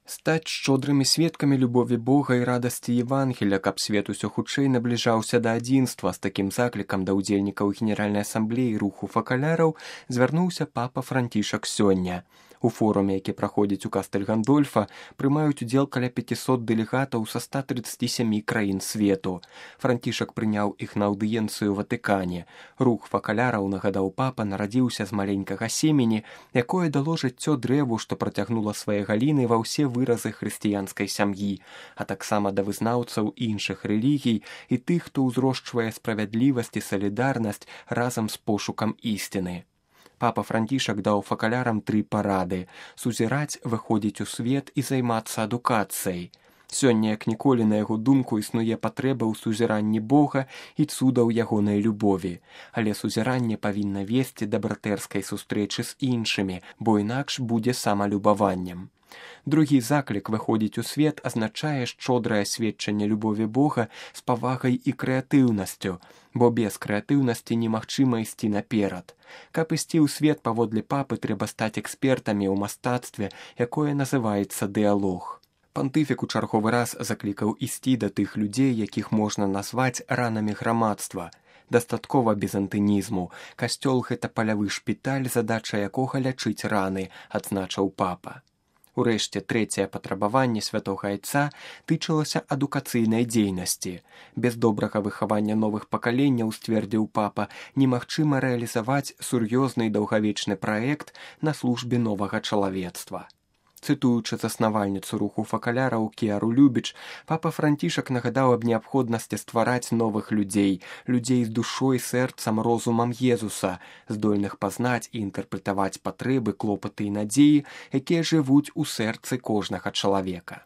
Стаць шчодрымі сведкамі любові Бога і радасці Євангеля, каб свет усё хутчэй набліжаўся да адзінства. З такім заклікам да ўдзельнікаў Генеральнай асамблеі руху факаляраў звярнуўся папа Францішак сёння. У форуме, які праходзіць у Кастэль Гандольфа, прымаюць удзел каля 500 дэлегатаў са 137 краін свету. Францішак прыняў іх на аўдыенцыю ў Ватыкане. Рух факаляраў, нагадаў папа, нарадзіўся з маленькага семені, якое дало жыццё дрэву, што працягнула свае галіны ва ўсе выразы хрысціянскай сям'і, а таксама да вызнаўцаў іншых рэлігій і тых, хто ўзрошчвае справядлівасць і салідарнасць разам з пошукам ісціны. Папа Францішак даў факалярам 3 парады – сузіраць, выходзіць у свет і займацца адукацыяй. Сёння, як ніколі, на яго думку, існуе патрэба ў сузіранні Бога і цудаў ягонай любові. Але сузіранне павінна весці да братэрскай сустрэчы з іншымі, бо інакш будзе самалюбаваннем. Другі заклік выходзіць у свет азначае шчодрае сведчанне любові Бога з павагай і крэатыўнасцю, бо без крэатыўнасці немагчыма ісці наперад. Каб ісці ў свет паводле папы, трэба стаць экспертамі ў мастацтве, якое называецца дыялог. Пантыфік у чарговы раз заклікаў ісці да тых людзей, якіх можна назваць ранамі грамадства. Дастаткова бізантынізму. Касцёл – гэта палявы шпіталь, задача якога лячыць раны, адзначыў папа. Урэшце, трэцяе патрабаванне святога айца тычылася адукацыйнай дзейнасці. Без добрага выхавання новых пакаленняў, сцвердзіў папа, немагчыма рэалізаваць сур'ёзны і даўгавечны праект на службе новага чалавецтва. Цытуючы заснавальніцу руху факаляраў Кіару Любіч, папа Францішак нагадаў аб неабходнасці ствараць новых людзей, людзей з душой, сэрцам, розумам Езуса, здольных пазнаць і інтэрпрэтаваць патрэбы, клопаты і надзеі, якія жывуць у сэрцы кожнага чалавека.